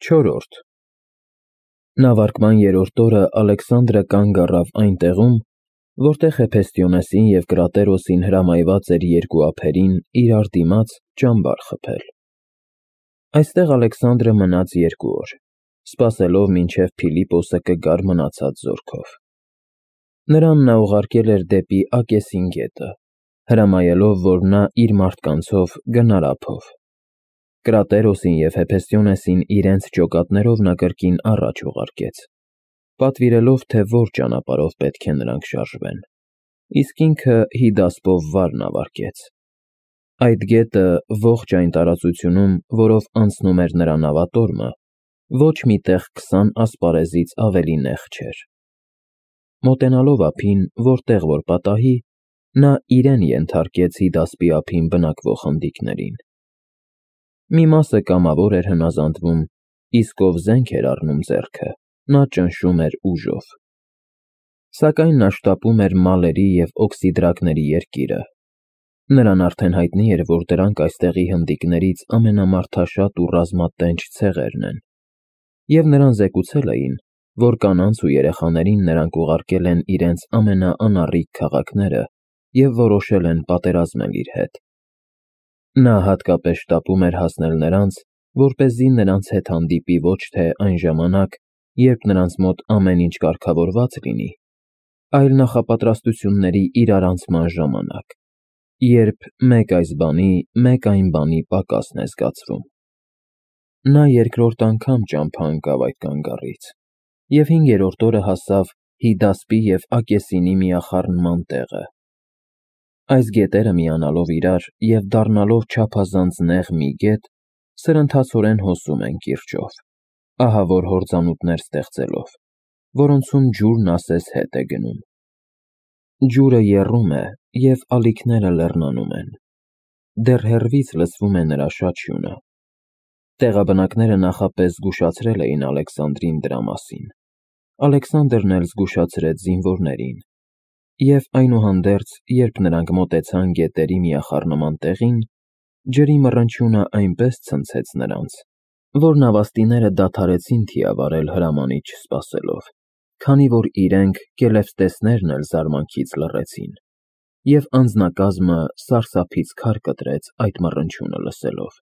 4. Նավարկման երրորդ օրը Ալեքսանդրը կանգ առավ այն տեղում, որտեղ Հեփեստիոնեսին և Կրատերոսին հրամայված էր երկու ափերին իրար դիմաց ճամբար խփել։ Այստեղ Ալեքսանդրը մնաց 2 օր, սպասելով մինչև Փիլիպոսը կգար մնացած զորքով։ Նրան նա ուղարկել էր դեպի Ակեսին գետը, հրամայելով, որ նա իր մարդկանցով գնար ափով։ Կրատերոսին և Հեփեստիոնեսին իրենց ջոկատներով նա կրկին առաջ ուղարկեց, պատվիրելով, թե որ ճանապարհով պետք է նրանք շարժվեն, իսկ ինքը Հիդասպով վար նավարկեց։ Այդ գետը ողջ այն տարածությունում, որով անցնում էր նրա նավատորմը, ոչ մի տեղ 20 ասպարեզից ավելի նեղ չէր։ Մոտենալով ափին, որտեղ որ պատահի, նա իրեն ենթարկեց Հիդասպի ափին բնակվող խնդիկներին։ Մի մասը կամավոր էր հնազանդվում, իսկ ով զենք էր առնում ձեռքը, նա ճնշում էր ուժով։ Սակայն նա շտապում էր մալերի և օքսիդրակների երկիրը։ Նրան արդեն հայտնի էր, որ դրանք այստեղի հնդիկներից ամենամարդաշատ ու ռազմատենչ ցեղերն են, և նրան զեկուցել էին, որ կանանց ու երեխաներին նրանք ուղարկել են իրենց ամենաանառիկ քաղաքները և որոշել են պատերազմել իր հետ։ Նա հատկապես շտապում էր հասնել նրանց, որպեսզի նրանց հետ հանդիպի ոչ թե այն ժամանակ, երբ նրանց մոտ ամեն ինչ կարգավորված լինի, այլ նախապատրաստությունների իրարանցման ժամանակ, երբ մեկ այս բանի, մեկ այն բանի պակասն է զգացվում։ Նա երկրորդ անգամ ճամփա ընկավ այդ կանգառից և 5-րդ օրը հասավ Հիդասպի և Ակեսինի միախառնման տեղը։ Այս գետերը միանալով իրար և դառնալով չափազանց նեղ մի գետ, սրընթացորեն հոսում են կիրճով, ահավոր հորձանուտներ ստեղծելով, որոնցում ջուրն ասես հետ է գնում։ Ջուրը եռում է, և ալիքները լեռնանում են։ Դեռ հեռվից լսվում է նրա շաչյունը։ Տեղաբնակները նախապես զգուշացրել էին Ալեքսանդրին դրա մասին։ Ալեքսանդրն էլ զգուշացրեց զինվորներին։ Եվ այնուհանդերձ, երբ նրանք մոտեցան գետերի միախառնման տեղին, ջրի մռնչյունը այնպես ցնցեց նրանց, որ նավաստիները դադարեցին թիավարել հրամանիչ չսպասելով, քանի որ իրենք կելևտեսներն էլ զարմանքից լռեցին, և անձնակազմը սարսափից քար կտրեց այդ մռնչյունը լսելով։